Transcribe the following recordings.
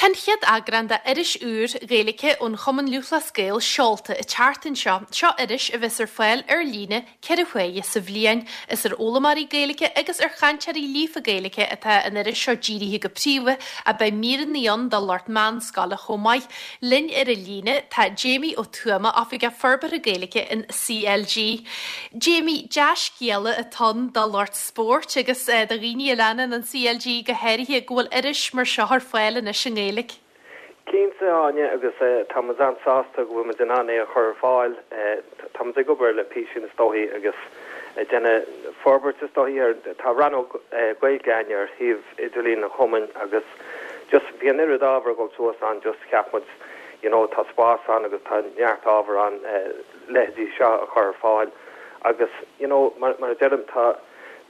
Tá an chéad eagrán de iris úr Ghaeilge ón Chumann Lúthchleas Gael seolta an tseachtain seo. Seo iris a bheas ar fáil ar líne 4 huaire sa bhliain. Is ar fhoghlaimeoirí Gaeilge agus ar chainteoirí líofa Gaeilge atá an iris seo dírithe go príomha ach beidh míreanna ann do lucht meánscoile chomh maith. Linn ar an líne tá Jamie Ó Tuama, Oifigeach Forbartha Gaeilge in CLG. Jamie, dea-scéala atá ann do lucht spóirt agus do dhaoine a leanann an CLG go háirithe go bhfuil iris mar seo ar fáil anois i nGaeilge. Cinnte, Áine, agus tá muid an-sásta go bhfuil muid in ann é a chur ar fáil. Tá muid ag obair le písín is dóichí agus ag déanamh forbairt is dóichí ar, tá rannóg Gaeilge againn ar shuíomh idirlín an chumainn agus just bhí an oiread ábhar ag dul suas ann just cheap muid you know tá spás ann agus tá neart ábhar ann leithéidí seo a chur ar fáil agus you know mar mar a deirim tá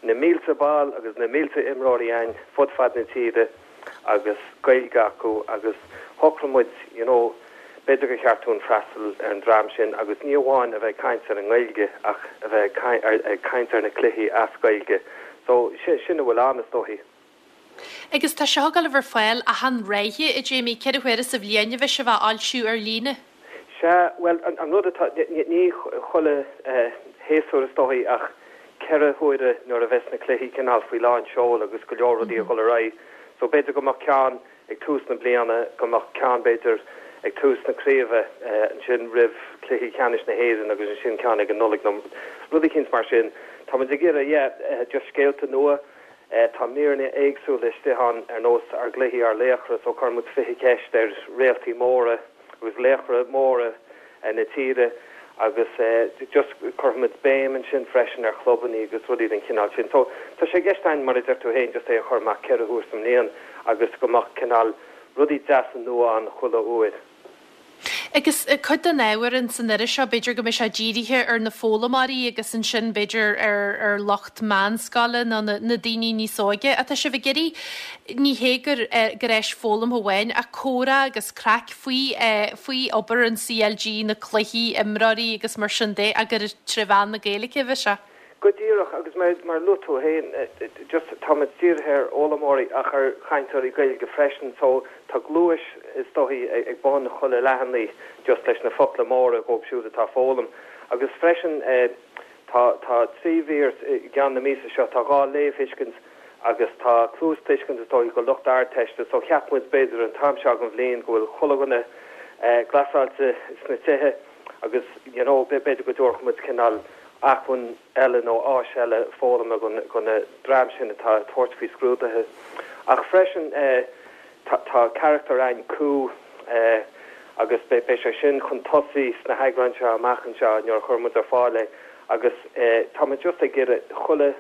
na mílte ball agus na mílte imreoirí againn fud fad na tíre. agus Gaeilge acu agus shocraigh muid you know b'fhéidir gur cheart dúinn freastal ar an dream sin agus ní amháin a bheith ag caint ar an nGaeilge ach a bheith ag caint ar na cluichí as Gaeilge. So sin a bhfuil ann is dóichí. Agus tá seo ag dul a bheith ar fáil achan ráithe, a Jamie, 4 huaire sa bhliain a bheidh sibh á fhoilsiú ar líne? Sea, bhuel, an rud atá, ní chuile shéasúr is dóichí ach 4 huaire nuair a bheas na cluichí cineál faoi lán seoil agus go leor rudaí ag dul ar aghaidh. So b'fhéidir go mbeadh ceann ag tús na bliana, go mbeadh ceann b'fhéidir ag tús na craoibhe, ansin roimh cluichí ceannais na hÉireann agus ansin ceann ag an Nollaig nó rud eicínt mar sin. Tá muid ag iarraidh, yeah, just scéalta nua. Tá míreanna éagsúla istigh ann ar nós ár gcluichí, ár laochra, so cuireann muid 20 ceist ar réaltaí móra. agus laochra móra na tíre agus just cuirfimid béim ansin freisin ar chlubannaí agus rudaí den chineál sin. So tá sé i gceist againn, mar a deir tú féin, just é a chur amach 4 huair sa mbliain agus go mbeadh cineál rudaí deasa nua ann chuile uair. Agus cuid den ábhar in san iris seo, b'fhéidir go mbeidh sé dírithe ar na foghlaimeoirí agus ansin b'fhéidir ar ar lucht meánscoile nó na na daoine níos óige. Ach tá sibh ag iarraidh, ní hé gur gur áis foghlamtha amháin ach comhrá agus craic faoi faoi obair an CLG, na cluichí, imreoirí agus mar sin de ach gur tré mheán na Gaeilge a bheidh sé. Go díreach, agus mar mar a luaigh tú féin, just táimid dírithe ar fhoghlaimeoirí ach ar chainteoirí Gaeilge freisin so tá gluais is dóichí ag bun chuile leathanaigh just leis na focla móra dhóibh siúd atá ag foghlaim. Agus freisin tá tá 3 mhír i gceann na míosa seo, tá 2 léamhthuiscint agus tá cluastuiscint is dóichí do lucht Ardteiste so cheap muid b'fhéidir an t-am seo den bhliain go bhfuil chuile dhuine glasáilte sna tithe agus you know b'fhéidir go dtabharfadh muid cineál acmhainn eile nó áis eile foghlama don dream sin atá ag tabhairt faoi scrúduithe. Ach freisin tá tá carachtar a'inn Cú agus beidh sé sin chun tosaigh sna heagráin seo amach anseo nuair a chuirfidh muid ar fáil é agus tá muid just ag iarraidh chuile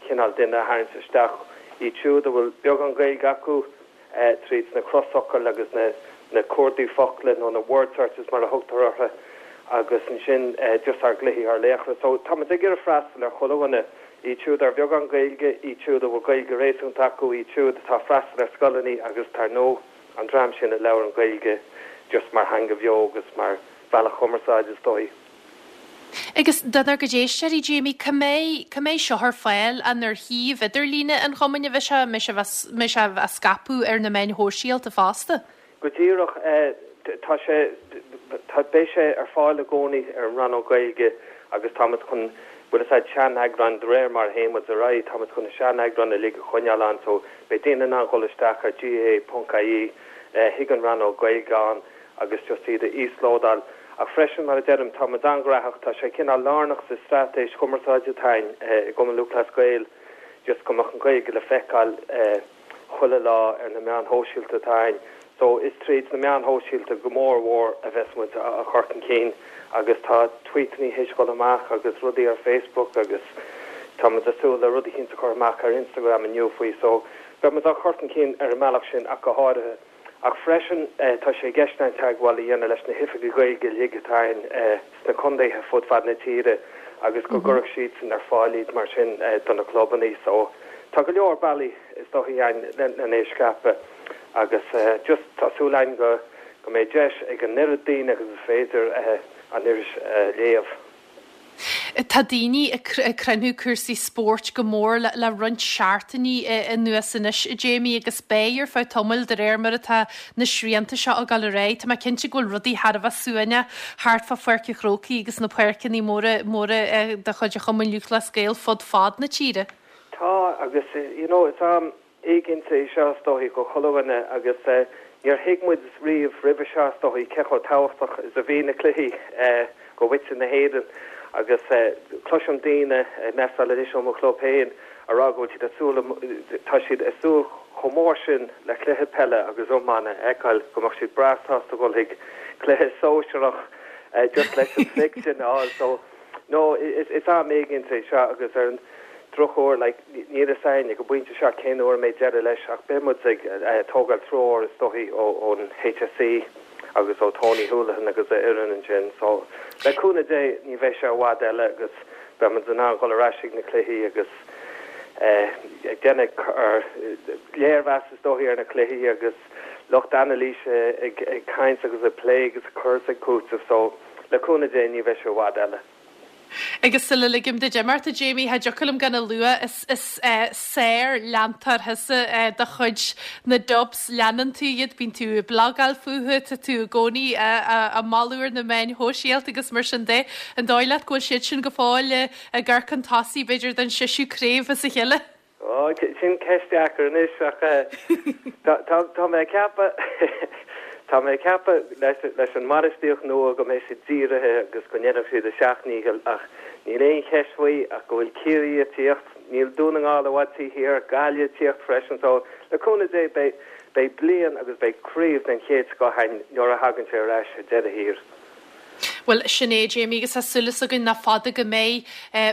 cineál duine a tharraingt isteach, iad siúd a bhfuil beagán Gaeilge acu, tríd na crosfhocail agus na cuardaigh focla nó na word searches mar a thugtar orthu, agus ansin just ár gcluichí, ár laochra. So tá muid ag iarraidh freastal ar chuile dhuine, iad siúd ar bheagán Gaeilge, iad siúd a bhfuil Gaeilge réasúnta acu, iad siúd atá ag freastal ar scoileanna agus dar ndóigh an dream sin a labhrann Gaeilge just mar theanga bheo agus mar bhealach cumarsáide is dóigh. Agus donár gcuid éisteoirí, Jamie, cá mbeidh, cá mbeidh seo ar fáil? An ar shuíomh idirlíne an Chumainn a bheidh sé? An mbeidh sé, mbeidh sé á scaipeadh ar na meáin shóisialta fosta? Go díreach, tá sé, tá, beidh sé ar fáil i gcónaí ar an rannóg Gaeilge agus táimid chun, bhfuil a fhios a'd, sean-eagráin, de réir mar a théann muid ar aghaidh, táimid chun na sean-eagráin uilig a choinneáil ann so beidh daoine in ann dhul isteach ar gaa.ie chuig an rannóg Gaeilge ann agus just iad a íoslódáil. Ach freisin, mar a deirim, tá muid an-ghnóthach, tá sé cineál lárnach sa straitéis chumarsáide atá againn i gCumann Lúthchleas Gael just go mbeadh an Ghaeilge le feiceáil chuile lá ar na meáin shóisialta atá againn. So is tríd na meáin shóisialta go mór mhór a bheas muid á chur chun cinn agus tá tweetanna théis dhul amach agus rudaí ar Facebook agus tá muid ag súil le rud eicínt a chur amach ar Instagram inniu faoi. So beidh muid á chur chun cinn ar an mbealach sin ach go háirithe. Ach freisin, tá sé i gceist againn teagmháil a dhéanamh leis na hoifigigh Ghaeilge uilig atá againn sna contaetha fud fad na tíre agus go gcuirfeadh siadsan ar fáil iad mar sin do na clubanna. So, tá go leor bealaí is dóichí againn len é a scaipeadh agus just tá súil againn go go mbeidh deis ag an oiread daoine agus is féidir an iris a léamh. Tá daoine ag cruinniú cúrsaí spóirt go mór le roinnt seachtainí anuas anois, a Jamie, agus beidh ar feadh tamaill de réir mar atá na srianta seo ag dul ar aghaidh. Tá mé cinnte go bhfuil rudaí thar a bheith suaimhneach thart fá Pháirc an Chrócaigh agus na páirceanna móra móra de chuid an Chumainn Lúthchleas Gael fud fad na tíre. Tá, agus you know is am éiginnte é seo is dóichí do chuile dhuine agus níor thuig muid riamh roimhe seo is dóichí cé chomh tábhachtach is a bhí na cluichí do mhuintir na hÉireann agus cloisim daoine ag message-áil anois ó mo chlub féin a rá go bhfuil siad ag súil tá siad ag súil chomh mór sin le cluiche peile agus iomána a fheiceáil go mbeadh siad breá sásta dhul chuig cluiche sóisearach just leis an fix sin a fháil so No, is am éiginnte é seo agus ar an drochuair, like, níl a fhios againn ag an bpointe seo cén uair a mbeidh deireadh leis ach beidh muid ag tógáil treoir is dóichí ón HSE agus ó Tony Holohan agus a fhoireann ansin. So, le cúnamh Dé, ní bheidh sé i bhfad eile agus beidh muid in ann dhul ar ais ag na cluichí agus ag déanamh ár léirmheas is dóichí ar na cluichí agus lucht anailíse ag caint agus ag plé agus ag cur is ag cúiteamh. So, Le cúnamh Dé ní bheidh sé i bhfad eile. Agus sula ligim duit imeacht, a Jamie, cha dtiocfadh liom gan a lua, is sár-leantóir thusa de chuid na Dubs. Leanann tú iad, bíonn tú ag blagáil fúthu, tá tú i gcónaí á moladh ar na meáin shóisialta agus mar sin de. An dóigh leat go bhfuil siad sin go fóill ag amharc chun tosaigh, b'fhéidir, don seisiú craobh as a chéile? Ó, sin ceist deacair anois ach tá mé ag ceapadh, tá mé ag ceapadh leis an mbainistíocht nua go mbeidh siad dírithe agus go ndéanfaidh siad a seacht ndícheall ach níl aon cheist faoi ach go bhfuil Ciarraí ag tíocht, níl Dún na nGall i bhfad taobh thiar, Gaillimh ag tíocht freisin so le cúnamh Dé beidh, beidh bliain agus beidh craobh den chéad scoth againn nuair a thagann sé ar ais ar deireadh thiar. Bhuel, sin é, Jamie, agus tá súil againn nach fada go mbeidh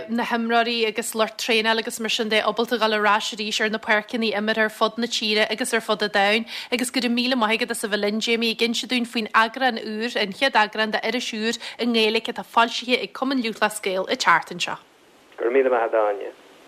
na himreoirí agus lucht traenála agus mar sin de ábalta dhul ar ais arís ar na páirceanna imeartha ar fud na tíre agus ar fud an domhain. Agus go raibh míle maith agat as a bheith linn, Jamie, ag inse dúinn faoin eagrán úr, an chéad eagrán d'Iris úr i nGaeilge atá foilsithe ag Cumann Lúthchleas Gael an tseachtain seo. Go raibh míle maith agat, Áine.